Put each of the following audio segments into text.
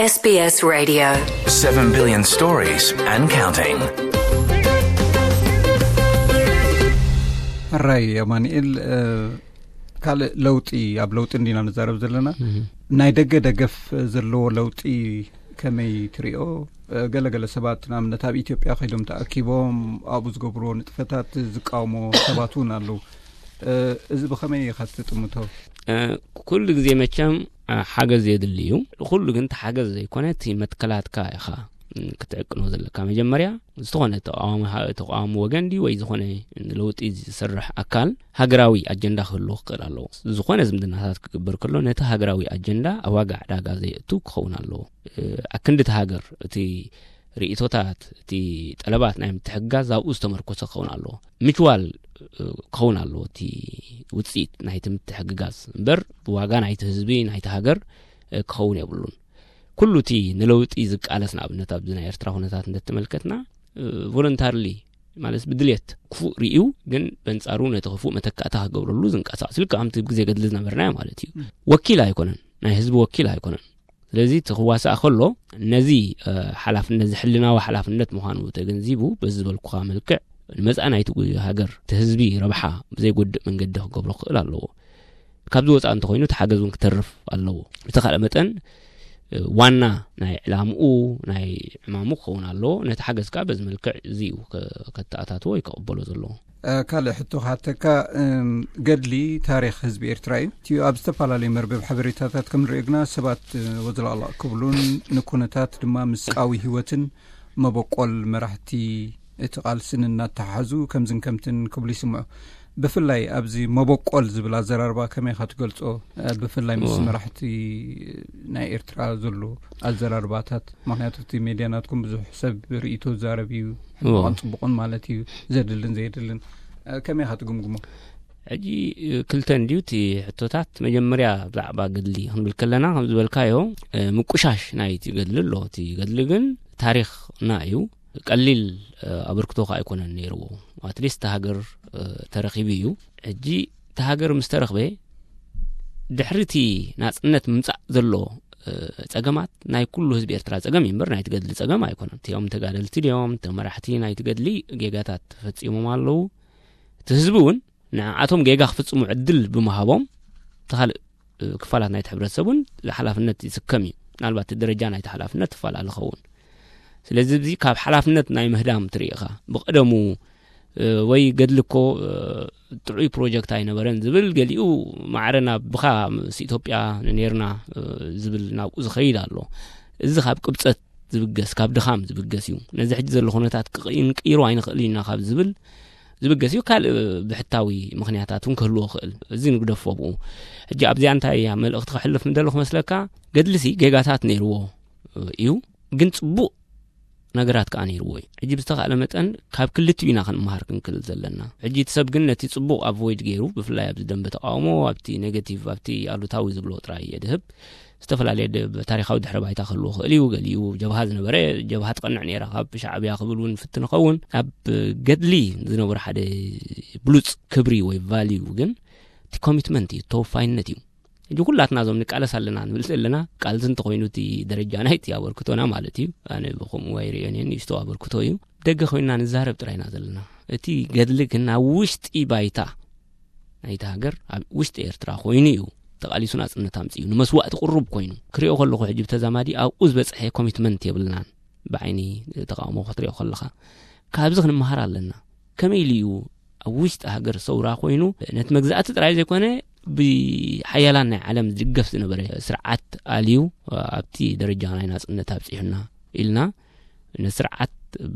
S B S Radio. Seven billion stories and counting. ሕራይ ኣማኑኤል፣ እ፣ ካልእ ለውጢ፣ ኣብ ለውጢ እንዲና ንዛረብ ዘለና። ናይ ደገ ደገፍ ዘለዎ ለውጢ ከመይ ትሪኦ? እ፣ ገለገለ ሰባት ንኣብነት ኣብ ኢትዮጵያ ከይዶም ተኣኪቦም ኣብኡ ዝገብርዎ ንጥፈታት ዝቃወሞ ሰባት እውን ኣለዉ። እ፣ እዚ ብኸመይ ኢኻ ትጥምቶ? እ፣ ኩሉ ግዜ መቸም፣ እ፣ ሓገዝ የድሊ እዩ። ኩሉ ግን እቲ ሓገዝ ዘይኮነ፣ እቲ መትከላትካ ኢኻ፣ እ፣ ክትዕቅኖ ዘለካ። መጀመርያ፣ ዝኾነ ተቃዋሚ ሃ-፣ ተቃዋሚ ወገን ድዩ ወይ ዝኾነ ንለውጢ ዝሰርሕ ኣካል ሃገራዊ ኣጀንዳ ክህልዎ ክኽእል ኣለዎ። ዝኾነ ዝምድናታት ክግበር ከሎ፣ ነቲ ሃገራዊ ኣጀንዳ ኣብ ዋጋ ዕዳጋ ዘየእቱ ክኸውን ኣለዎ። እ፣ ኣክንዲ እቲ ሃገር፣ እቲ ርእይቶታት፣ እቲ ጠለባት ናይ ምትሕግጋዝ ኣብኡ ዝተመርኮሰ ክኸውን ኣለዎ። ምችዋል፣ እ፣ ክኸውን ኣለዎ እቲ ውጽኢት ናይቲ ምትሕግጋዝ እምበር፣ ብዋጋ ናይቲ ህዝቢ፣ ናይቲ ሃገር፣ እ፣ ክኸውን የብሉን። ኩሉ እቲ ንለውጢ ዝቃለስ፣ ንኣብነት ኣብዚ ናይ ኤርትራ ኩነታት እንተተመልከትና፣ እ፣ ቮለንታርሊ፣ ማለት ብድልየት ክፉእ ርእዩ፣ ግን በንጻሩ ነቲ ክፉእ መተካእታ ክገብረሉ ዝንቀሳቐስ፣ ልክዕ ከምቲ ግዜ ገድሊ ዝነበርናዮ ማለት እዩ። ም። ወኪል ኣይኮነን፣ ናይ ህዝቢ ወኪል ኣይኮነን። ስለዚ እቲ ክዋሳእ ከሎ ነዚ፣ እ፣ ሓላፍነት፣ እዚ ሕልናዊ ሓላፍነት ምዃኑ ተገንዚቡ፣ በዚ ዝበልኩኻ መልክዕ ንመጻኢ ናይቲ ጉ-፣ ሃገር፣ እቲ ህዝቢ ረብሓ ብዘይጎድእ መንገዲ ክገብሮ ክኽእል ኣለዎ። ካብዚ ወጻኢ እንተኾይኑ እቲ ሓገዝ እውን ክተርፍ ኣለዎ። ብተኻእለ መጠን፣ እ፣ ዋና ናይ ዕላምኡ፣ ናይ ዕማሙ ክኸውን ኣለዎ። ነቲ ሓገዝ ከኣ በዚ መልክዕ እዚ እዩ ከ-፣ ከተኣታትዎ ወይ ከቕበሎ ዘለዎ። እ፣ ካልእ ሕቶ ክሓተካ፣ እም፣ ገድሊ ታሪኽ ህዝቢ ኤርትራ እዩ። እቲ ኣብ ዝተፈላለዩ መርበብ ሓበሬታታት ከም ንሪኦ ግና ሰባት፣ እ፣ ወዝላቕላቕ ክብሉን ንኩነታት ድማ ምስ ቃዊ ህይወትን መበቆል መራሕቲ እቲ ቃልስን እናተሓሓዙ ከምዝን ከምትን ክብሉ ይስምዑ። ብፍላይ ኣብዚ መበቆል ዝብል ኣዘራርባ ከመይ ኢኻ ትገልጾ? እ፣ ብፍላይ ምስ እዎ። መራሕቲ ናይ ኤርትራ ዘሎ ኣዘራርባታት፣ ምኽንያቱ እቲ ሜድያ ናትኩም ብዙሕ ሰብ ርእይቶ ዝዛረብ እዩ፣ እዎ። ሕማቕን ጽቡቕን ማለት እዩ፣ ዘድልን ዘየድልን። እ፣ ከመይ ኢኻ ትግምግሞ? ሕጂ፣ እ፣ ክልተ እንድዩ እቲ ሕቶታት። መጀመርያ ብዛዕባ ገድሊ ክንብል ከለና፣ ከም ዝበልካዮ፣ እ፣ ምቁሻሽ ናይቲ ገድሊ ኣሎ። እቲ ገድሊ ግን ታሪኽና እዩ። ቀሊል፣ እ፣ ኣበርክቶ ከኣ ኣይኮነን ነይርዎ። ኣትሊስት እቲ ሃገር፣ እ፣ ተረኺቡ እዩ። ሕጂ እቲ ሃገር ምስ ተረኽበ፣ ድሕሪ እቲ ናጽነት ምምጻእ ዘሎ፣ እ፣ ጸገማት ናይ ኩሉ ህዝቢ ኤርትራ ጸገም እዩ እምበር፣ ናይቲ ገድሊ ጸገም ኣይኮነን። እቲኦም ተጋደልቲ ድዮም፣ እቶም መራሕቲ ናይቲ ገድሊ ጌጋታት ተፈጺሞም ኣለዉ። እቲ ህዝቢ እውን ንዓኣቶም ጌጋ ክፍጽሙ ዕድል ብምሃቦም፣ እቲ ካልእ፣ እ፣ ክፋላት ናይቲ ሕብረተሰብ እውን ሓላፍነት ይስከም እዩ። ምናልባት እቲ ደረጃ ናይቲ ሓላፍነት ትፈላለ ኸውን። ስለዚ፣ እዚ ካብ ሓላፍነት ናይ ምህዳም ትርኢ ኢኻ። ብቐደሙ፣ እ፣ ወይ ገድሊ እኮ፣ እ፣ ጥዑይ ፕሮጀክት ኣይነበረን ዝብል፣ ገሊኡ ማዕረ ናብ ብኻ ምስ ኢትዮጵያ ነይርና፣ እ፣ ዝብል ናብኡ ዝኸይድ ኣሎ። እዚ ካብ ቅብጸት ዝብገስ፣ ካብ ድኻም ዝብገስ እዩ። ነዚ ሕጂ ዘሎ ኩነታት ክቕ-፣ ክንቅይሮ ኣይንኽእልን ኢና ካብ ዝብል ዝብገስ እዩ። ካልእ ብሕታዊ ምኽንያታት እውን ክህልዎ ይኽእል። እዚ ንግደፎ ብኡ። ሕጂ ኣብዚኣ እንታይ እያ መልእኽቲ ከሕልፍ ምደለኹ መስለካ? ገድልሲ ጌጋታት ነይርዎ እዩ፣ ግን ጽቡቕ ነገራት ከኣ ነይርዎ እዩ። ሕጂ ብዝተኻእለ መጠን ካብ ክልቲኡ ኢና ክንመሃር ክንክእል ዘለና። ሕጂ እቲ ሰብ ግን ነቲ ጽቡቕ ኣቮይድ ገይሩ፣ ብፍላይ ኣብዚ ደንበ ተቃውሞ፣ ኣብቲ ኔጋቲቭ፣ ኣብቲ ኣሉታዊ ዝብሎ ጥራይ እየ ድህብ። ዝተፈላለየ ድ-፣ ታሪኻዊ ድሕረ ባይታ ክህልዎ ክእል እዩ። ገሊኡ ጀብሃ ዝነበረ፣ ጀብሃ ትቐንዕ ነይራ ካብ ሻዕብያ ክብል እውን ፍትን ይኸውን። ኣብ ገድሊ ዝነበረ ሓደ ብሉጽ ክብሪ ወይ ቫልዩ ግን እቲ ኮሚትመንት እዩ፣ ተወፋይነት እዩ። ሕጂ ኩላትና እዞም ንቃለስ ኣለና ንብል ዘለና፣ ቃልሲ እንተኾይኑ እቲ ደረጃ ናይቲ ኣበርክቶና ማለት እዩ። ኣነ ብኸምኡ ኣይርእዮን እየ፣ ንእሽቶ ኣበርክቶ እዩ። ደገ ኮይንና ንዛረብ ጥራይ ኢና ዘለና። እቲ ገድሊ ግን ኣብ ውሽጢ ባይታ ናይቲ ሃገር፣ ኣብ ውሽጢ ኤርትራ ኮይኑ እዩ ተቓሊሱ ናጽነት ኣምጺኡ፣ ንመስዋእቲ ቅሩብ ኮይኑ ክሪኦ ከለኹ፣ ሕጂ ብተዛማዲ ኣብኡ ዝበጽሐ ኮሚትመንት የብልናን። ብዓይኒ ተቃውሞ ክትሪኦ ከለኻ፣ ካብዚ ክንመሃር ኣለና። ከመይ ኢሉ እዩ ኣብ ውሽጢ ሃገር ሰውራ ኮይኑ፣ ነቲ መግዛእቲ ጥራይ ዘይኮነ፣ ብሓያላን ናይ ዓለም ዝድገፍ ዝነበረ ስርዓት ኣልዩ፣ ኣብቲ ደረጃ ናይ ናጽነት ኣብጺሑና ኢልና፣ ንስርዓት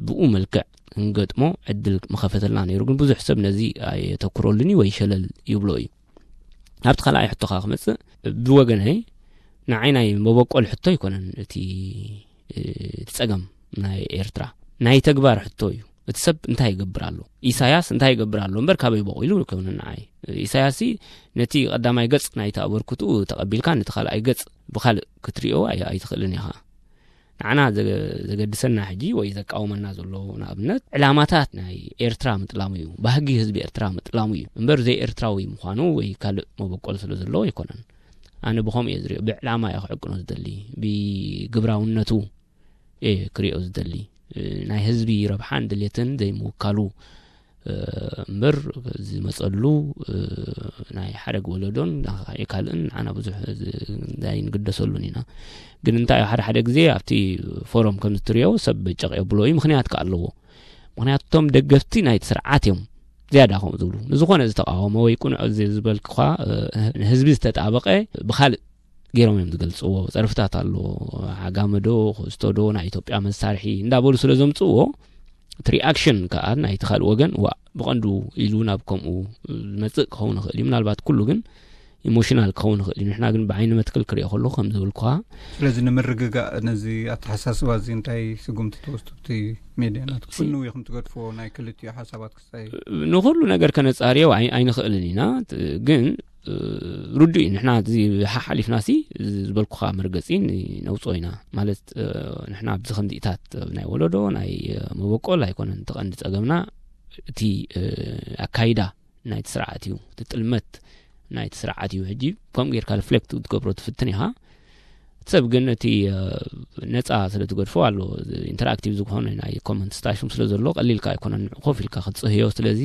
ብኡ መልክዕ ክንገጥሞ ዕድል ምኸፈተልና ነይሩ። ግን ብዙሕ ሰብ ነዚ ኣየተኩረሉን እዩ ወይ ሸለል ይብሎ እዩ። ኣብቲ ካልኣይ ሕቶኻ ክመጽእ፣ ብወገነይ ንዓይ ናይ መበቆል ሕቶ ኣይኮነን እቲ፣ እቲ ጸገም ናይ ኤርትራ ናይ ተግባር ሕቶ እዩ። እቲ ሰብ እንታይ ይገብር ኣሎ? ኢሳያስ እንታይ ይገብር ኣሎ እምበር ካበይ በቒሉ ኣይኮነን ንዓይ። ኢሳያስሲ ነቲ ቀዳማይ ገጽ ናይቲ ኣበርክትኡ ተቐቢልካ ነቲ ካልኣይ ገጽ ብኻልእ ክትሪኦ ኣይ-፣ ኣይትኽእልን ኢኻ። ንዓና ዘገ-፣ ዘገድሰና ሕጂ ወይ ዘቃውመና ዘሎ ንኣብነት ዕላማታት ናይ ኤርትራ ምጥላሙ እዩ፣ ባህጊ ህዝቢ ኤርትራ ምጥላሙ እዩ እምበር ዘይኤርትራዊ ምዃኑ ወይ ካልእ መበቆል ስለ ዘለዎ ኣይኮነን። ኣነ ብኸምኡ እየ ዝሪኦ። ብዕላማ እየ ክዕቅኖ ዝደሊ፣ ብግብራውነቱ እየ ክሪኦ ዝደሊ። እ፣ ናይ ህዝቢ ረብሓን ድሌትን ዘይምውካሉ፣ እ፣ እምበር ዝመፀሉ፣ እ፣ ናይ ሓደግ ወለዶን ካልእን ንዓና ብዙሕ ዝ-፣ ኣይንግደሰሉን ኢና። ግን እንታይ እዩ፣ ሓደ ሓደ ግዜ ኣብቲ ፎረም ከም ዝትሪኦ ሰብ ጨቕ የብሎ እዩ፣ ምኽንያት ከ ኣለዎ። ምኽንያቱ እቶም ደገፍቲ ናይቲ ስርዓት እዮም ዝያዳ ከምኡ ዝብሉ። ንዝኾነ ዝተቃወመ ወይ ቅኑዕ እዚ ዝበልክኳ፣ እ፣ ንህዝቢ ዝተጣበቐ ብኻልእ ገይሮም እዮም ዝገልጽዎ። ጸርፍታት ኣሎ፣ ዓጋመዶ፣ ክስቶዶ፣ ናይ ኢትዮጵያ መሳርሒ እንዳበሉ ስለ ዘምጽእዎ፣ እቲ ሪኣክሽን ከኣ ናይቲ ካልእ ወገን፣ ዋ፣ ብቐንዱ ኢሉ ናብ ከምኡ ዝመጽእ ክኸውን ይኽእል እዩ። ምናልባት ኩሉ ግን ኢሞሽናል ክኸውን ይኽእል እዩ። ንሕና ግን ብዓይኒ መትክል ክሪኦ ከለኹ ከም ዝብልኳ። ስለዚ ንምርግጋእ ነዚ ኣተሓሳስባ እዚ እንታይ ስጉምቲ ትወስዱ? እቲ ሜድያ ናትኩም ሲ- ክንው ኢኹም ትገድፍዎ ናይ ክልቲኡ ሓሳባት ክስታይ? ንኹሉ ነገር ከነጻርዮ ኣይ-፣ ኣይንኽእልን ኢና። ት-፣ ግን፣ እ፣ ርዱእ እዩ። ንሕና እዚ ሓሓሊፍና ሲ ዝበልኩኻ መርገጺ ን-፣ ነውጽኦ ኢና። ማለት፣ እ፣ ንሕና ኣብዚ ከምዚኢታት ናይ ወለዶ፣ ናይ፣ እ፣ መበቆል ኣይኮነን እቲ ቀንዲ ጸገምና። እቲ፣ እ፣ ኣካይዳ ናይቲ ስርዓት እዩ። እቲ ጥልመት ናይቲ ስርዓት እዩ። ሕጂ ከምኡ ጌርካ ሪፍሌክት ክትገብሮ ትፍትን ኢኻ። እቲ ሰብ ግን እቲ፣ እ፣ ነጻ ስለ ትገድፎ ኣሎ። ኢንተራክቲቭ ዝኾነ ናይ ኮመንት ስታሽን ስለ ዘሎ ቀሊልካ ኣይኮነን ንዑ ኮፍ ኢልካ ክትጽህዮ። ስለዚ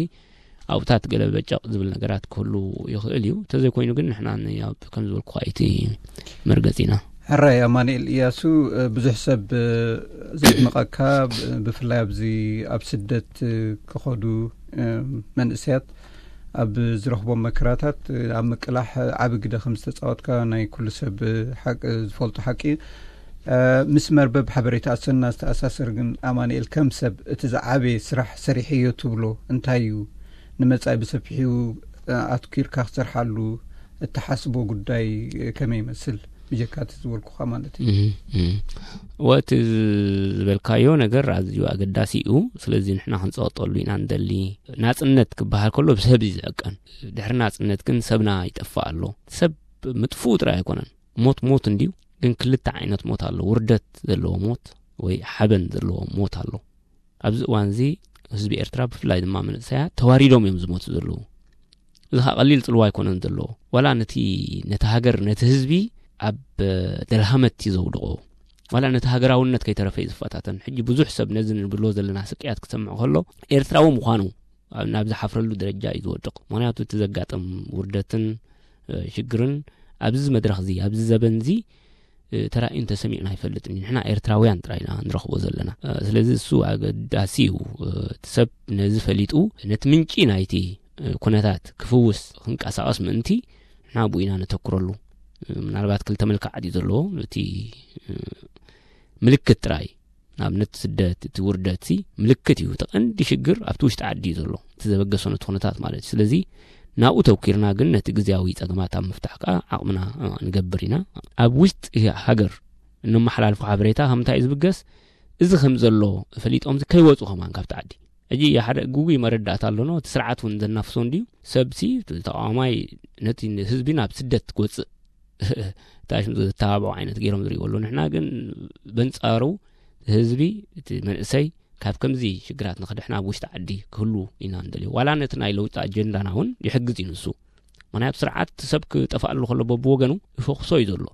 ኣብታት ገለ በጨቕ ዝብል ነገራት ክህሉ ይኽእል እዩ። እንተዘይኮይኑ ግን ንሕና ን-፣ ኣብ ከም ዝበልኩኻ እቲ መርገጺ ኢና። ሕራይ ኣማኑኤል እያሱ፣ እ፣ ብዙሕ ሰብ፣ እ፣ ዘድንቐካ፣ ብ-፣ ብፍላይ ኣብዚ ኣብ ስደት፣ እ፣ ክኸዱ፣ እ፣ መንእሰያት ኣብ ዝረኽቦም መከራታት፣ እ፣ ኣብ ምቅላሕ ዓቢ ግደ ከም ዝተጻወትካ ናይ ኩሉ ሰብ፣ እ፣ ሓቅ-፣ ዝፈልጦ ሓቂ እዩ። እ፣ ምስ መርበብ ሓበሬታ ኣሰና ዝተኣሳሰር ግን ኣማኑኤል ከም ሰብ እቲ ዝዓበየ ስራሕ ሰሪሐዮ ትብሎ እንታይ እዩ? ንመጻኢ ብሰፊሑ፣ እ፣ ኣትኲርካ ክትሰርሓሉ እትሓስቦ ጉዳይ፣ እ፣ ከመይ ይመስል? ብጀካ እቲ ዝበልኩኻ ማለት እዩ። እህ፣ እህ። ወ-፣ እቲ ዝበልካዮ ነገር ኣዝዩ ኣገዳሲ እዩ። ስለዚ ንሕና ክንጸቕጠሉ ኢና ንደሊ። ናጽነት ክበሃል ከሎ ብሰብ እዩ ዝዕቀን። ድሕሪ ናጽነት ግን ሰብና ይጠፍእ ኣሎ። ሰብ ምጥፍኡ ጥራይ ኣይኮነን። ሞት ሞት እንድዩ፣ ግን ክልተ ዓይነት ሞት ኣሎ። ውርደት ዘለዎ ሞት ወይ ሓበን ዘለዎ ሞት ኣሎ። ኣብዚ እዋን እዚ ህዝቢ ኤርትራ ብፍላይ ድማ መንእሰያት ተዋሪዶም እዮም ዝሞቱ ዘለዉ። እዚ ኸኣ ቀሊል ጽልዋ ኣይኮነን ዘለዎ። ዋላ ነቲ፣ ነቲ ሃገር፣ ነቲ ህዝቢ ኣብ ደልሃመት እዩ ዘውድቖ። ዋላ ነቲ ሃገራውነት ከይተረፈ እዩ ዝፈታተን። ሕጂ ብዙሕ ሰብ ነዚ ንብሎ ዘለና ስቅያት ክሰምዕ ከሎ ኤርትራዊ ምዃኑ ኣብ፣ ናብ ዝሓፍረሉ ደረጃ እዩ ዝወድቕ። ምኽንያቱ እቲ ዘጋጥም ውርደትን፣ እ፣ ሽግርን ኣብዚ መድረኽ እዚ፣ ኣብዚ ዘበን እዚ፣ እ፣ ተራእዩን ተሰሚዑን ኣይፈልጥን እዩ። ንሕና ኤርትራውያን ጥራይ ኢና ንረኽቦ ዘለና። እ፣ ስለዚ እሱ ኣገዳሲ እዩ። እ፣ እቲ ሰብ ነዚ ፈሊጡ ነቲ ምንጪ ናይቲ፣ እ፣ ኩነታት ክፍውስ ክንቀሳቐስ ምእንቲ ንሕና ኣብኡ ኢና ነተኩረሉ። እ፣ ምናልባት ክልተ መልክዓት እዩ ዘለዎ። እቲ፣ እ፣ ምልክት ጥራይ፣ ንኣብነት ስደት፣ እቲ ውርደት ሲ ምልክት እዩ። እቲ ቀንዲ ሽግር ኣብቲ ውሽጢ ዓዲ እዩ ዘሎ። እቲ ዘበገሶ ነቲ ኩነታት ማለት እዩ። ስለዚ ናብኡ ተውኪርና ግን ነቲ ግዝያዊ ጸገማት ኣብ ምፍታሕ ከኣ ዓቕምና፣ እ፣ ንገብር ኢና። ኣብ ውሽጢ ሃገር እነመሓላልፎ ሓበሬታ ከምታይ እዩ ዝብገስ? እዚ ከም ዘሎ ፈሊጦም ከይወጹ ከማን ካብቲ ዓዲ። ሕጂ ሓደ ግጉይ መረዳእታ ኣለኖ። እቲ ስርዓት እውን ዘናፍሶ እንድዩ። ሰብሲ ተቃዋማይ ነቲ ህዝቢ ናብ ስደት ክወጽእ እንታይ ሽም ዘተባብዑ ዓይነት ገይሮም ዝርእይዎ ኣለዉ። ንሕና ግን በንጻሩ ህዝቢ፣ እቲ መንእሰይ ካብ ከምዚ ሽግራት ንኽድሕን ኣብ ውሽጢ ዓዲ ክህሉ ኢና ንደልዮ። ዋላ ነቲ ናይ ለውጢ ኣጀንዳና እውን ይሕግዝ እዩ ንሱ። ምኽንያቱ ስርዓት ሰብ ክጠፍኣሉ ከሎ በብወገኑ ይፈኹሶ እዩ ዘሎ።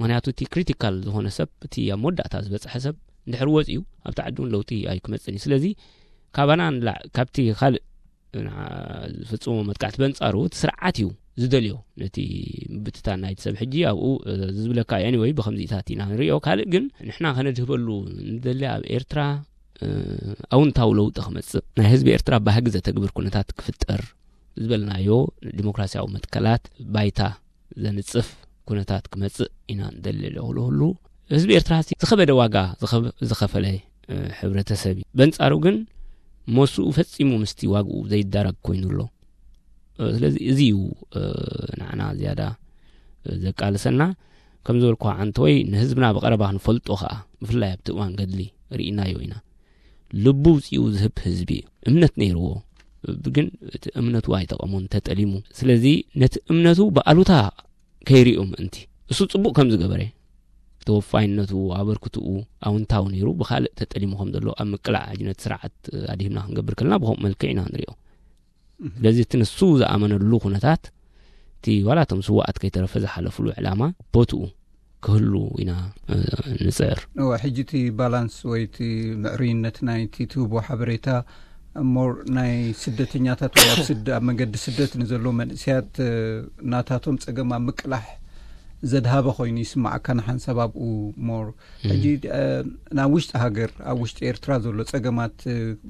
ምኽንያቱ እቲ ክሪቲካል ዝኾነ ሰብ፣ እቲ ኣብ መወዳእታ ዝበጽሐ ሰብ እንድሕር ወጺኡ ኣብቲ ዓዲ እውን ለውጢ ኣይክመጽእን እዩ። ስለዚ ካባና ንላዕ-፣ ካብቲ ካልእ ንዓ-፣ ዝፍጽሞ መጥቃዕቲ በንጻሩ እቲ ስርዓት እዩ ዝደልዮ ነቲ ምብትታን ናይቲ ሰብ። ሕጂ ኣብኡ፣ እ፣ ዝብለካ እዩ። ኤኒወይ ብኸምዚታት ኢና ንሪኦ። ካልእ ግን ንሕና ከነድህበሉ ንደሊ ኣብ ኤርትራ፣ እ፣ ኣውንታዊ ለውጢ ክመጽእ፣ ናይ ህዝቢ ኤርትራ ባህጊ ዘተግብር ኩነታት ክፍጠር፣ ዝበልናዮ ዲሞክራሲያዊ መትከላት ባይታ ዘንጽፍ ኩነታት ክመጽእ ኢና ንደሊ። ለኹሉ ህዝቢ ኤርትራ ሲ ዝኸበደ ዋጋ ዝኸብ-፣ ዝኸፈለ፣ እ፣ ሕብረተሰብ እዩ። በንጻሩ ግን መስኡ ፈጺሙ ምስቲ ዋግኡ ዘይዳረግ ኮይኑ ኣሎ። እ፣ ስለዚ እዚ እዩ፣ እ፣ ንዓና ዝያዳ፣ እ፣ ዘቃልሰና። ከም ዝበልኩ ዓንተወይ ንህዝብና ብቐረባ ክንፈልጦ ኸኣ፣ ብፍላይ ኣብቲ እዋን ገድሊ ርኢናዮ ኢና። ልቡ ውጽኡ ዝህብ ህዝቢ እዩ። እምነት ነይርዎ፣ ግን እቲ እምነቱ ኣይጠቐሞን፣ ተጠሊሙ። ስለዚ ነቲ እምነቱ ብኣሉታ ከይሪኦ ምእንቲ፣ እሱ ጽቡቕ ከም ዝገበረ፣ ተወፋይነቱ፣ ኣበርክትኡ ኣውንታዊ ነይሩ፣ ብኻልእ ተጠሊሙ ከም ዘሎ ኣብ ምቅላዕ ሕጂ ነቲ ስርዓት ኣድሂብና ክንገብር ከለና ብኸምኡ መልክዕ ኢና ንሪኦ። እህ። ስለዚ እቲ ንሱ ዝኣመነሉ ኩነታት፣ እቲ እቲ ዋላ እቶም ስዋኣት ከይተረፈ ዝሓለፍሉ ዕላማ ቦትኡ ክህሉ ኢና ንፅዕር። ሕጂ እቲ ባላንስ ወይ እቲ ምዕሩይነት ናይቲ ትህቦ ሓበሬታ ሞር ናይ ስደተኛታት ወይ ኣብ ስደ ኣብ መንገዲ ስደት ንዘለዉ መንእስያት ናታቶም ፀገም ኣብ ምቅላሕ ዘድሃበ ኮይኑ ይስማዓካ ንሓንሳብ ኣብኡ ሞር ሕጂ ናብ ውሽጢ ሃገር ኣብ ውሽጢ ኤርትራ ዘሎ ፀገማት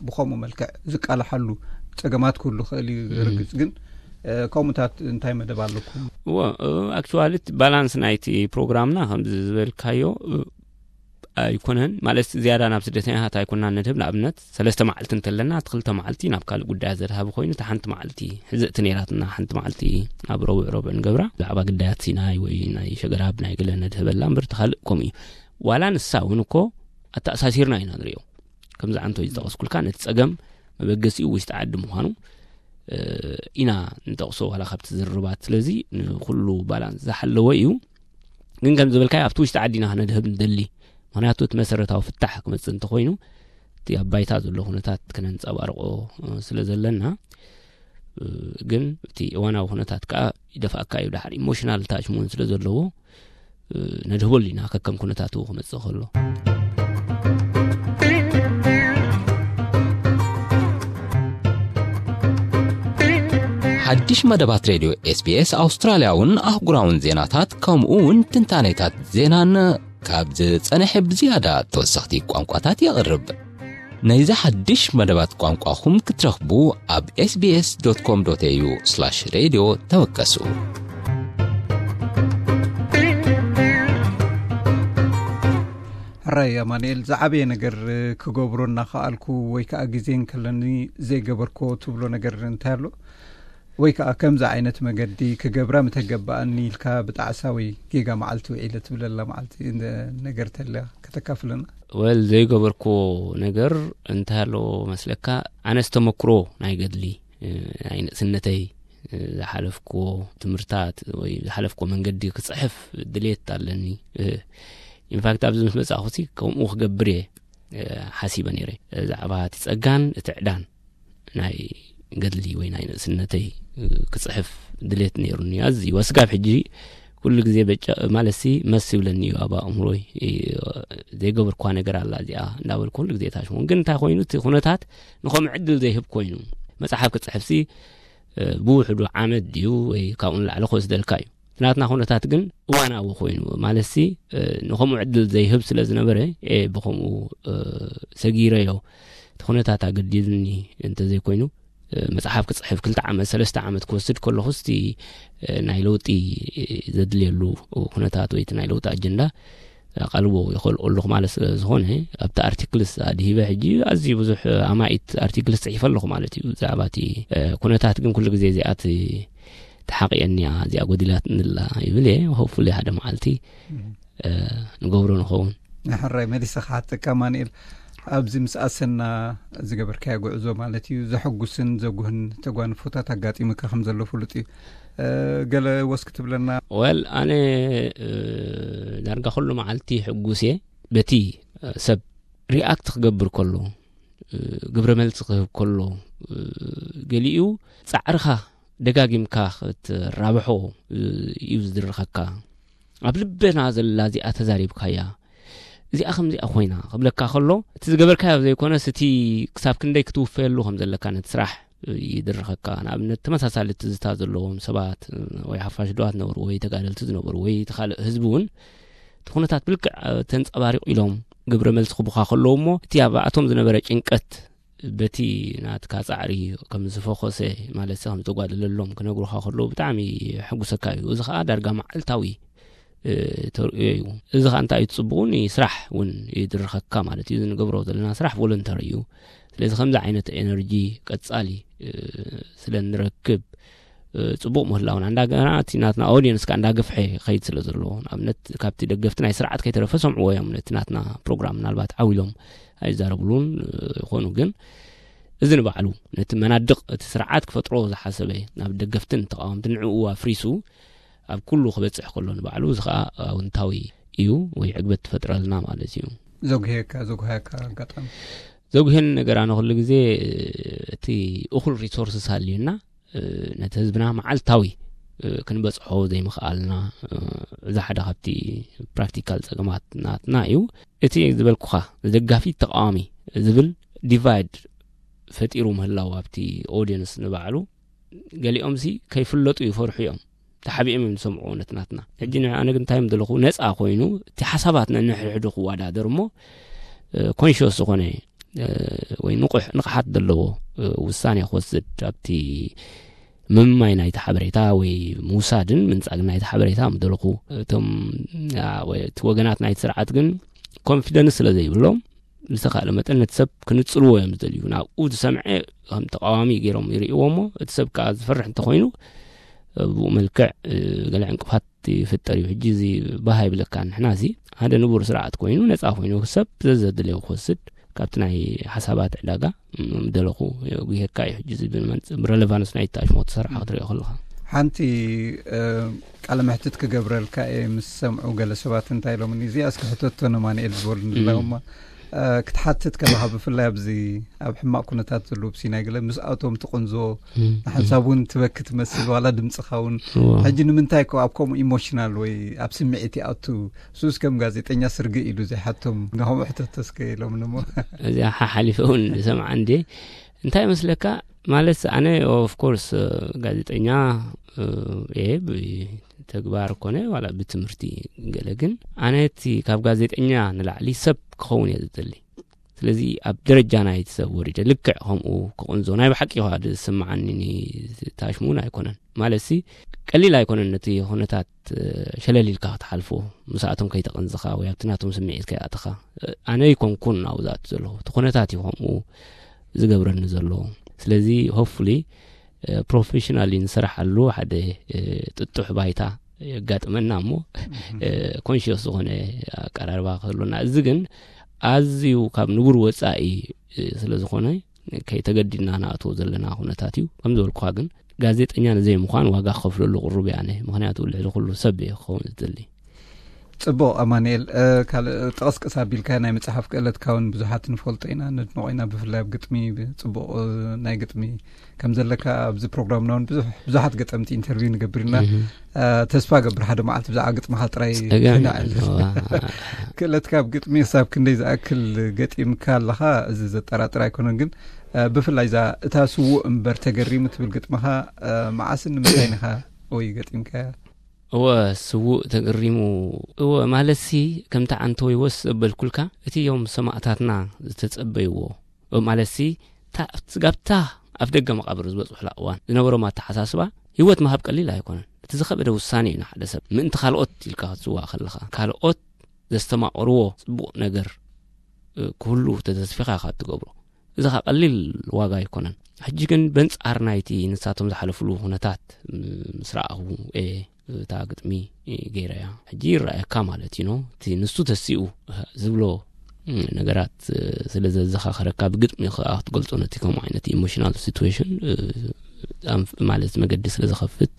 ብከምኡ መልክዕ ዝቃልሓሉ ፀገማት ክህሉ ክእል እዩ ርግፅ ግን ከምኡታት እንታይ መደብ ኣለኩም? እዎ፣ ኣክቹዋሊ ባላንስ ናይቲ ፕሮግራምና ከምዚ ዝበልካዮ ኣይኮነን ማለት ዝያዳ ናብ ስደተኛታት ኣይኮና ንድህብ ንኣብነት ሰለስተ መዓልቲ እንተለና እቲ ክልተ መዓልቲ ናብ ካልእ ጉዳያት ዘድሃብ ኮይኑ እቲ ሓንቲ መዓልቲ ሕዝእቲ ነይራትና ሓንቲ መዓልቲ ኣብ ረቡዕ ረቡዕ ንገብራ ብዛዕባ ግዳያት ሲናይ ወይ ናይ ሸገራብ ናይ ገለ ነድህበላ እምበር እቲ ካልእ ከምኡ እዩ ዋላ ንሳ እውን እኮ ኣተኣሳሲርና ኢና ንሪኦ ከምዚ ዓንቶ ዝጠቐስኩልካ ነቲ ፀገም መበገሲኡ ውሽጢ ዓዲ ምዃኑ ኢና ንጠቕሶ ዋላ ካብቲ ዝርርባት ስለዚ ንኩሉ ባላንስ ዝሓለወ እዩ ግን ከም ዝበልካዮ ኣብቲ ውሽጢ ዓዲና ክነድህብ ንደሊ ምክንያቱ እቲ መሰረታዊ ፍታሕ ክመፅእ እንተኮይኑ እቲ ኣብ ባይታ ዘሎ ኩነታት ክነንፀባርቆ ስለ ዘለና ግን እቲ እዋናዊ ኩነታት ከዓ ይደፍኣካ እዩ ዳሓር ኢሞሽናል ታችሙን ስለ ዘለዎ ነድህበሉ ኢና ከከም ኩነታቱ ክመፅእ ከሎ ሓድሽ መደባት ሬድዮ ኤስቢኤስ ኣውስትራልያውን ኣህጉራውን ዜናታት ከምኡ እውን ትንታኔታት ዜናን ካብ ዝጸንሐ ብዝያዳ ተወሰኽቲ ቋንቋታት የቕርብ። ነዚ ሓድሽ መደባት ቋንቋኹም ክትረኽቡ ኣብ ኤስቢኤስ ዶት ኮም ዶት ኤዩ ስላሽ ሬድዮ ተወከሱ። ሕራይ ኣማንኤል ዝዓበየ ነገር ክገብሮ እናኸኣልኩ ወይ ከዓ ግዜ እንከለኒ ዘይገበርኮ ትብሎ ነገር እንታይ ኣሎ? ወይ ከዓ ከምዚ ዓይነት መገዲ ክገብራ ምተገበኣኒ ኢልካ ብጣዕሳ ወይ ጌጋ መዓልቲ ውዒለ ትብለላ መዓልቲ ነገር ተልያ ከተካፍለና? ወል ዘይገበርኩዎ ነገር እንታይ ኣሎ መስለካ ኣነስ ተመክሮ ናይ ገድሊ ናይ ንእስነተይ ዝሓለፍኩዎ ትምህርታት ወይ ዝሓለፍኩዎ መንገዲ ክፅሕፍ ድሌት ኣለኒ ኢንፋክት ኣብዚ ምስ መፃእኹሲ ከምኡ ክገብር እየ ሓሲበ ነይረ ዛዕባ እቲ ፀጋን እቲ ዕዳን ናይ ገድሊ ወይ ናይ ንእስነተይ ክፅሕፍ ድሌት ነይሩኒ ኣዝዩ ወስጋብ ሕጂ ኩሉ ግዜ በጫ ማለት ሲ መስ ይብለኒ እዩ ኣብ ኣእምሮይ ዘይገበርኳ ነገር ኣላ እዚኣ እንዳበልኩ ኩሉ ግዜ ታሽሞን ግን እንታይ ኮይኑ እቲ ኩነታት ንኸምኡ ዕድል ዘይህብ ኮይኑ መፅሓፍ ክፅሕፍ ሲ ብውሕዱ ዓመት ድዩ ወይ ካብኡ ንላዕሊ ክወስደልካ እዩ ናትና ኩነታት ግን እዋናዊ ኮይኑ ማለት ሲ ንኸምኡ ዕድል ዘይህብ ስለ ዝነበረ ብኸምኡ ሰጊረዮ እቲ ኩነታት ኣገዲድኒ እንተዘይኮይኑ መፅሓፍ ክፅሕፍ ክልተ ዓመት ሰለስተ ዓመት ክወስድ ከለኹ ስቲ ናይ ለውጢ ዘድልየሉ ኩነታት ወይ ናይ ለውጢ ኣጀንዳ ኣቓልቦ ይኸልኦ ኣለኹ ማለት ስለ ዝኾነ ኣብቲ ኣርቲክልስ ኣድሂበ ሕጂ ኣዝዩ ብዙሕ ኣማኢት ኣርቲክልስ ፅሒፈ ኣለኹ ማለት እዩ ብዛዕባ እቲ ኩነታት ግን ኩሉ ግዜ እዚኣት ተሓቂየኒያ እዚኣ ጎዲላትንላ ይብል እየ ሆፉሊ ሓደ መዓልቲ ንገብሮ ንኸውን ሕራይ መሊሰ ክሓተካ ማንኤል ኣብዚ ምስ ኣሰና ዝገበርካዮ ጉዕዞ ማለት እዩ ዘሐጉስን ዘጉህን ተጓንፎታት ኣጋጢሙካ ከም ዘሎ ፍሉጥ እዩ ገለ ወስክ ትብለና ወል ኣነ ዳርጋ ኩሉ መዓልቲ ሕጉስ እየ በቲ ሰብ ሪኣክት ክገብር ከሎ ግብረ መልሲ ክህብ ከሎ ገሊኡ ፃዕርኻ ደጋጊምካ ክትራብሖ እዩ ዝድርኸካ ኣብ ልበና ዘላ እዚኣ ተዛሪብካያ እዚኣ ከምዚኣ ኮይና ክብለካ ከሎ እቲ ዝገበርካዮ ዘይኮነስ እቲ ክሳብ ክንደይ ክትውፈየሉ ከም ዘለካ ነቲ ስራሕ ይድርኸካ ንኣብነት ተመሳሳሊ ትዝታ ዘለዎም ሰባት ወይ ሓፋሽ ድዋ ዝነበሩ ወይ ተጋደልቲ ዝነበሩ ወይ እቲ ካልእ ህዝቢ እውን እቲ ኩነታት ብልክዕ ተንፀባሪቑ ኢሎም ግብረ መልሲ ክቡኻ ከለዉ እሞ እቲ ኣብኣቶም ዝነበረ ጭንቀት በቲ ናትካ ፃዕሪ ከም ዝፈኾሰ ማለት ከም ዝተጓደለሎም ክነግሩኻ ከለዉ ብጣዕሚ ሕጉሰካ እዩ እዚ ከዓ ዳርጋ መዓልታዊ ተርእዮ እዩ እዚ ከዓ እንታይ እዩ ትፅቡቑ ንስራሕ እውን ይድርኸካ ማለት እዩ ንገብሮ ዘለና ስራሕ ቮለንተሪ እዩ ስለዚ ከምዚ ዓይነት ኤነርጂ ቀፃሊ ስለ ንረክብ ፅቡቕ ምህላውና እንዳገና እቲ ናትና ኦዲየንስ ከዓ እንዳገፍሐ ይኸይድ ስለ ዘሎ ንኣብነት ካብቲ ደገፍቲ ናይ ስርዓት ከይተረፈ ሰምዕዎ እዮም ነቲ ናትና ፕሮግራም ምናልባት ዓው ኢሎም ኣይዛረብሉን ይኾኑ ግን እዚ ንባዕሉ ነቲ መናድቕ እቲ ስርዓት ክፈጥሮ ዝሓሰበ ናብ ደገፍትን ተቃወምቲ ንዕኡ ኣፍሪሱ ኣብ ኩሉ ክበፅሕ ከሎ ንባዕሉ እዚ ከዓ ኣውንታዊ እዩ ወይ ዕግበት ትፈጥረልና ማለት እዩ ዘጉሄካ ዘጉሃካ ኣጋጣሚ ዘጉሄን ነገር ኣነ ኩሉ ግዜ እቲ እኹል ሪሶርስስ ሃልዩና ነቲ ህዝብና መዓልታዊ ክንበጽሖ ዘይምኽኣልና፣ እዚ ሓደ ካብቲ ፕራክቲካል ጸገማት ናትና እዩ። እቲ ዝበልኩኻ ደጋፊ ተቃዋሚ ዝብል ዲቫይድ ፈጢሩ ምህላው ኣብቲ ኦዲየንስ ንባዕሉ፣ ገሊኦም ሲ ከይፍለጡ ይፈርሑ እዮም። ተሓቢኦም እዮም ዝሰምዑ። እውነት ናትና ሕጂ ንኣነ ግን እንታይ ምደለኹ፣ ነፃ ኮይኑ እቲ ሓሳባት ነንሕድሕዱ ክወዳደር እሞ ኮንሽስ ዝኾነ ወይ ንቑሕ ንቕሓት ዘለዎ ውሳኔ ክወስድ ኣብቲ ምምማይ ናይቲ ሓበሬታ ወይ ምውሳድን ምንጻግን ናይቲ ሓበሬታ ምደለኹ። እቶም እቲ ወገናት ናይቲ ስርዓት ግን ኮንፊደንስ ስለ ዘይብሎም፣ ዝተኻእለ መጠን ነቲ ሰብ ክንጽልዎ እዮም ዝደልዩ። ናብኡ ዝሰምዐ ከም ተቃዋሚ ገይሮም ይርእይዎ እሞ፣ እቲ ሰብ ከዓ ዝፈርሕ እንተኾይኑ፣ ብኡ መልክዕ ገለ ዕንቅፋት ይፍጠር እዩ። ሕጂ እዚ ባህ ይብለካ። ንሕና እዚ ሓደ ንቡር ስርዓት ኮይኑ፣ ነፃ ኮይኑ ሰብ ዘዘድልዮ ክወስድ ካብቲ ናይ ሓሳባት ዕዳጋ ምደለኹ። ጉሄካ እዩ ሕጂ እዚ ብረለቫንስ ናይ ታሽሞ ተሰርሓ ክትሪኦ ከለኻ። ሓንቲ ቃለ መሕትት ክገብረልካ እየ ምስ ሰምዑ ገለ ሰባት እንታይ ኢሎምኒ፣ እዚኣ እስኪ ሕተቶ ንማንኤል ዝበሉ ንላውማ ክትሓትት ከለኻ፣ ብፍላይ ኣብዚ ኣብ ሕማቕ ኩነታት ዘለዉ ብሲናይ ገለ ምስ ኣቶም ትቕንዞ፣ ንሓንሳብ እውን ትበኪ ትመስል ዋላ ድምፅኻ እውን። ሕጂ ንምንታይ ኮ ኣብ ከምኡ ኢሞሽናል ወይ ኣብ ስምዒት ይኣቱ? ሱስ ከም ጋዜጠኛ ስርጊ ኢሉ ዘይሓቶም ንኸምኡ ሕተቶ እስከ ኢሎም ንሞ። እዚኣ ሓሓሊፈ እውን ዝሰምዓ እንዴ። እንታይ መስለካ? ማለት ኣነ ኦፍኮርስ ጋዜጠኛ እየ ብተግባር ኮነ ዋላ ብትምህርቲ ገለ፣ ግን ኣነ እቲ ካብ ጋዜጠኛ ንላዕሊ ሰብ ክኸውን እየ ዝደሊ። ስለዚ ኣብ ደረጃ ናይቲ ሰብ ወሪደ ልክዕ ከምኡ ክቕንዞ ናይ ብሓቂ ኸዓ ዝስምዓኒ ታሽሙን ኣይኮነን። ማለት ሲ ቀሊል ኣይኮነን ነቲ ኩነታት ሸለል ኢልካ ክትሓልፎ፣ ምስኣቶም ከይተቐንዝኻ ወይ ኣብቲ ናቶም ስምዒት ከይኣተኻ። ኣነ ኣይኮንኩን ኣብኡ ዝኣቱ ዘለኹ፣ እቲ ኩነታት እዩ ከምኡ ዝገብረኒ ዘሎ። ስለዚ ሆፕፉሊ ፕሮፌሽናሊ ንስራሓሉ ሓደ ጥጡሕ ባይታ የጋጥመና እሞ ኮንሽስ ዝኾነ ኣቀራርባ ክህሉና። እዚ ግን ኣዝዩ ካብ ንቡር ወፃኢ ስለ ዝኾነ ከይተገዲድና ንኣትዎ ዘለና ኩነታት እዩ። ከም ዝበልኩኻ ግን ጋዜጠኛ ንዘይምዃን ዋጋ ክኸፍለሉ ቅሩብ እየ ኣነ። ምኽንያቱ ልዕሊ ኩሉ ሰብ እየ ክኸውን ዝደሊ። ጽቡቕ ኣማኑኤል፣ ካልእ ጠቕስቅስ ኣቢልካ ናይ መጽሓፍ ክእለትካ እውን ብዙሓት ንፈልጦ ኢና፣ ነድንቖ ኢና። ብፍላይ ኣብ ግጥሚ ጽቡቕ ናይ ግጥሚ ከም ዘለካ ኣብዚ ፕሮግራምና እውን ብዙሕ ብዙሓት ገጠምቲ ኢንተርቪው ንገብር ኢና። ተስፋ ገብር ሓደ መዓልቲ ብዛዕባ ግጥምኻ ጥራይ ክነዕል። ክእለትካ ኣብ ግጥሚ ክሳብ ክንደይ ዝኣክል ገጢምካ ኣለኻ እዚ ዘጠራጥር ኣይኮነን። ግን ብፍላይ እዛ እታ ስዉእ እምበር ተገሪሙ ትብል ግጥምኻ መዓስን ንምንታይ ኢኻ ወይ ገጢምካያ? እወ፣ ስዉእ ተገሪሙ። እወ፣ ማለትሲ ከምቲ ዓንተወይ ወስ ዘበልኩልካ፣ እቲ እዮም ሰማእታትና ዝተጸበይዎ። ማለትሲ እታ ኣብቲ ጋብታ ኣፍ ደገ መቓብር ዝበጽሑላ እዋን ዝነበሮም ኣተሓሳስባ፣ ህይወት ምሃብ ቀሊል ኣይኮነን። እቲ ዝኸበደ ውሳኔ እዩ ንሓደ ሰብ ምእንቲ ካልኦት ኢልካ ክትስዋእ ከለኻ፣ ካልኦት ዘስተማቕርዎ ጽቡቕ ነገር ክህሉ ተተስፊኻ ኢኻ እትገብሮ። እዚ ኸኣ ቀሊል ዋጋ ኣይኮነን። ሕጂ ግን በንጻር ናይቲ ንሳቶም ዝሓለፍሉ ኩነታት ምስ ረኣኹ እየ እታ ግጥሚ ገይረያ። ሕጂ ይረኣየካ ማለት እዩ፣ ኖ? እቲ ንሱ ተሲኡ ዝብሎ ነገራት ስለ ዘዘኻኸረካ፣ ብግጥሚ ኸኣ ክትገልጾ ነቲ ከምኡ ዓይነት ኢሞሽናል ሲትዌሽን ማለት መገዲ ስለ ዝኸፍት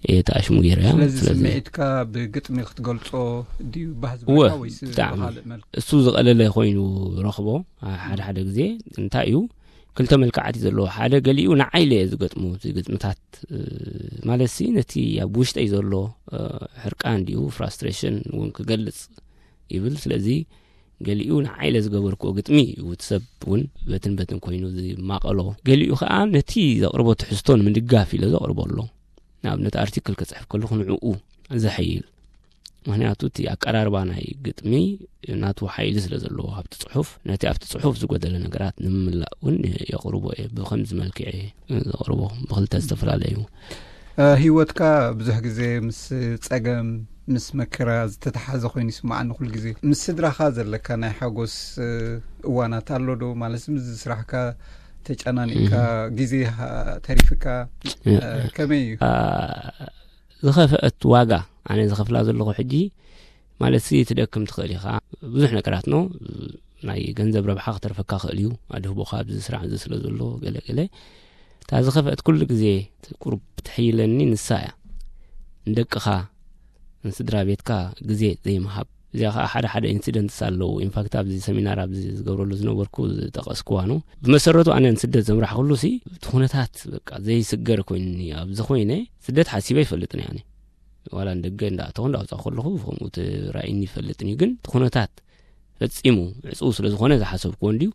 እየ ተኣሽሙ ገይረያ። ስለዚ ስለዚ ስምዒትካ ብግጥሚ ክትገልጾ ድዩ ባህ እወ፣ ዝበለካ ወይስ ብጣዕሚ። ብኻልእ መልክዕ? እሱ ዝቐለለ ኮይኑ ረኽቦ። ሓደ ሓደ ግዜ እንታይ እዩ፣ ክልተ መልክዓት እዩ ዘለዎ። ሓደ ገሊኡ ንዓይ ኢለ እየ ዝገጥሙ፣ እቲ ግጥምታት፣ እ፣ ማለትሲ ነቲ ኣብ ውሽጠይ ዘሎ፣ እ፣ ሕርቃን ድዩ ፍራስትሬሽን እውን ክገልጽ ይብል። ስለዚ ገሊኡ ንዓይ ኢለ ዝገበርክዎ ግጥሚ እዩ፣ እቲ ሰብ እውን በትን በትን ኮይኑ ዝማቐሎ። ገሊኡ ኸኣ ነቲ ዘቕርቦ ትሕዝቶ ንምድጋፍ ኢለ ዘቕርቦ ኣሎ። ንኣብነት ኣርቲክል ክጽሕፍ ከለኹ ንዕኡ ዘሐይል። ምኽንያቱ እቲ ኣቀራርባ ናይ ግጥሚ ናቱ ሓይሊ ስለ ዘለዎ ኣብቲ ጽሑፍ፣ ነቲ ኣብቲ ጽሑፍ ዝጎደለ ነገራት ንምምላእ እውን የቕርቦ እየ። ብኸምዚ መልክዕ እየ ዘቕርቦ፣ ብኽልተ ዝተፈላለዩ። እ፣ ህይወትካ ብዙሕ ግዜ ምስ ጸገም፣ ምስ መከራ ዝተተሓዘ ኮይኑ ይስምዓኒ ኩሉ ግዜ። ምስ ስድራኻ ዘለካ ናይ ሓጎስ፣ እ፣ እዋናት ኣሎ ዶ? ማለት ምስዚ ስራሕካ ተጨናኒቕካ፣ እህ። ግዜ ሃ-፣ ተሪፍካ፣ እ፣ እ፣ ከመይ እዩ? አ፣ ዝኸፍአት ዋጋ ኣነ ዝኸፍላ ዘለኹ ሕጂ፣ ማለትሲ ትደክም ትኽእል ኢኻ። ብዙሕ ነገራት ኖ፣ ናይ ገንዘብ ረብሓ ክተርፈካ ክእል እዩ። ኣድህቦኻ ኣብዚ ስራሕ እዚ ስለ ዘሎ ገለ ገለ። እታ ዝኸፍአት ኩሉ ግዜ ቁሩብ ትሕይለኒ ንሳ እያ። ንደቅኻ፣ ንስድራ ቤትካ ግዜ ዘይምሃብ። እዚኣ ከዓ ሓደ ሓደ ኢንሲደንትስ ኣለዉ። ኢንፋክት ኣብዚ ሰሚናር ኣብዚ ዝገብረሉ ዝነበርኩ ዝጠቐስኩዋ ነው። ብመሰረቱ ኣነ ንስደት ዘምራሕኩሉ ሲ እቲ ኩነታት በቃ ዘይስገር ኮይኑኒ ኣብዚ ኮይነ ስደት ሓሲበ ይፈልጥን እየ። ዋላ ንደገ እንዳእተኹ እንዳውፃእ ከለኹ ከምኡ ተራእይኒ ይፈልጥን እዩ። ግን እቲ ኩነታት ፈፂሙ ዕፅው ስለ ዝኾነ ዝሓሰብኩዎ እንድዩ።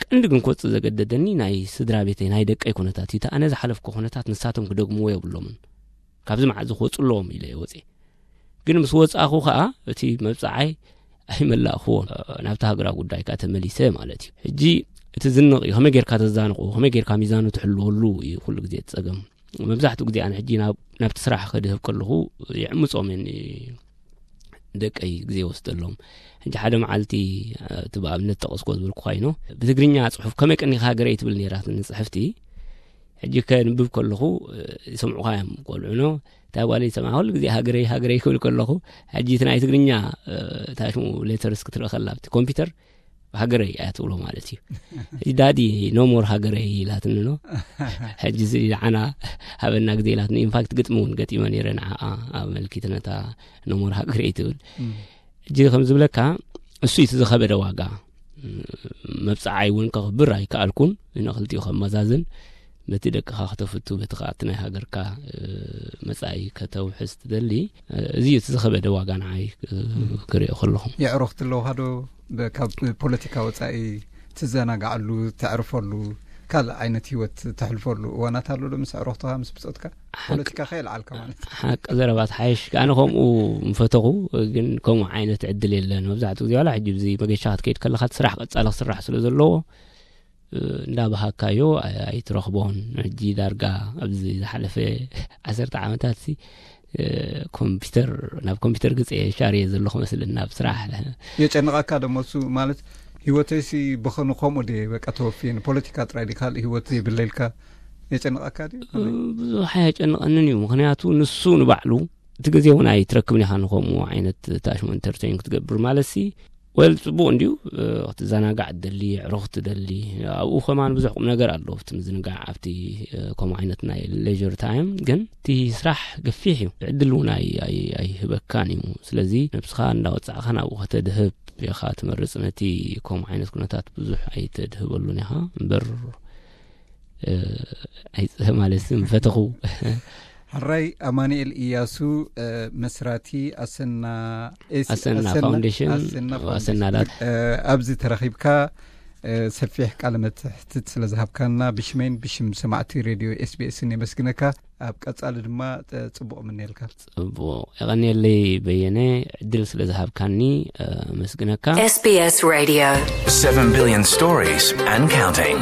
ቀንዲ ግን ክወፅእ ዘገደደኒ ናይ ስድራ ቤተይ ናይ ደቀይ ኩነታት እዩ። እቲ ኣነ ዝሓለፍኩ ኩነታት ንሳቶም ክደግምዎ የብሎምን። ካብዚ መዓዝ ክወፁ ኣለዎም ኢለ እየ ወፅየ። ግን ምስ ወፃእኹ ከዓ እቲ መብፅዓይ ኣይመላእኽዎን። ናብቲ ሃገራዊ ጉዳይ ከዓ ተመሊሰ ማለት እዩ። ሕጂ እቲ ዝንቕ እዩ። ከመይ ጌርካ ተዛንቑ፣ ከመይ ጌርካ ሚዛኑ ትሕልወሉ እዩ ኩሉ ግዜ እቲ ፀገም። መብዛሕትኡ ግዜ ኣነ ሕጂ ናብ ናብቲ ስራሕ ከድህብ ከለኹ ይዕምፆም እየ ደቀይ ግዜ ወስደሎም። ሕጂ ሓደ መዓልቲ እቲ ብኣብነት ጠቐስኮ ዝበልኩ ኮይኖ ብትግርኛ ፅሑፍ ከመይ ቀኒኻ ሃገረይ ትብል ነይራትኒ ፅሕፍቲ። ሕጂ ከንብብ ከለኹ ይሰምዑኻ እዮም ቆልዑ ኖ። እታ ጓል ይሰምዓ ኩሉ ግዜ ሃገረይ ሃገረይ ክብል ከለኹ፣ ሕጂ እቲ ናይ ትግርኛ ታሽሙ ሌተርስ ክትርኢ ከላ ኣብቲ ኮምፒውተር ሃገረይ እያ ትብሎ ማለት እዩ። ሕጂ ዳዲ ኖ ሞር ሃገረይ ኢላትኒ ኖ። ሕጂ እዚ ንዓና ሃበና ግዜ ኢላትኒ። ኢንፋክት ግጥሚ እውን ገጢመ ነይረ ንዓኣ ኣመልኪት ነታ ኖ ሞር ሃገረይ ትብል። ሕጂ ከም ዝብለካ እሱ እዩ እቲ ዝኸበደ ዋጋ። መብፅዓይ እውን ከኽብር ኣይከኣልኩን። ንክልቲኡ ከመዛዝን በቲ ደቅኻ ከተፍቱ በቲ ከዓ እቲ ናይ ሃገርካ መፃኢ ከተውሕስ ትደሊ። እዚ እዩ እቲ ዝኸበደ ዋጋ ንዓይ ክሪኦ ከለኹ። የዕሩኽቲ ኣለውኻ ዶ? ካብ ፖለቲካ ወፃኢ ትዘናጋዓሉ፣ ተዕርፈሉ፣ ካልእ ዓይነት ህይወት ተሕልፈሉ እዋናት ኣሎ ዶ ምስ ኣዕሩኽትኻ ምስ ብፆትካ? ፖለቲካ ከየልዓልካ ማለት። ሓቂ ዘረባ ትሓይሽ። ኣነ ከምኡ ምፈተኹ፣ ግን ከምኡ ዓይነት ዕድል የለን። መብዛሕትኡ ግዜ ዋላ ሕጂ ብዚ መገሻ ክትከይድ ከለኻ እቲ ስራሕ ቀፃሊ ክስራሕ ስለ ዘለዎ እንዳባሃካዮ ኣይትረኽቦን። ሕጂ ዳርጋ ኣብዚ ዝሓለፈ ዓሰርተ ዓመታት ሲ ኮምፒውተር ናብ ኮምፒውተር ግፀ ሻርየ ዘለኹ መስል ናብ ስራሕ። የጨንቐካ ደሞ እሱ ማለት ህይወተይሲ ብኸኑ ከምኡ ድየ በቃ ተወፍየ ንፖለቲካ ጥራይ ድየ ካልእ ህይወት ዘይብለይ ኢልካ የጨንቐካ ድዩ? ብዙሕ ኣየጨንቐንን እዩ። ምኽንያቱ ንሱ ንባዕሉ እቲ ግዜ እውን ኣይትረክብን ኢኻ ንከምኡ ዓይነት ታሽሙ ኢንተርቴን ክትገብር ማለት ሲ ወል ፅቡቅ እንድዩ። ክትዘናጋዕ ትደሊ፣ ዕሩኽ ትደሊ። ኣብኡ ከማን ብዙሕ ቁም ነገር ኣሎ ኣብቲ ምዝንጋዕ ኣብቲ ከምኡ ዓይነት ናይ ሌር ታይም። ግን እቲ ስራሕ ገፊሕ እዩ። ዕድል እውን ኣይህበካን እዩ። ስለዚ ነብስኻ እንዳወፃእኻ ናብኡ ከተድህብ ኢኻ ትመርፅ። ነቲ ከምኡ ዓይነት ኩነታት ብዙሕ ኣይተድህበሉን ኢኻ እምበር ኣይፅህ ማለት ምፈተኹ። ሕራይ ኣማኑኤል ኢያሱ፣ መስራቲ ኣሰና ኤስ- ኣሰና ኣሰና- ፋውንዴሽን፣ ኣሰና ኣሰና ፋውንዴሽን። ላት- ኣብዚ ተረኺብካ ሰፊሕ ቃለ መትሕትት ስለ ዝሃብካና ብሽመይን ብሽም ሰማዕቲ ሬድዮ ኤስቢኤስን የመስግነካ። ኣብ ቀጻሊ ድማ ጽቡቕ ምንየልካ። ጽቡቕ። የቐንየለይ በየነ፣ ዕድል ስለ ዝሃብካኒ ኣመስግነካ። S B S Radio. Seven billion stories and counting.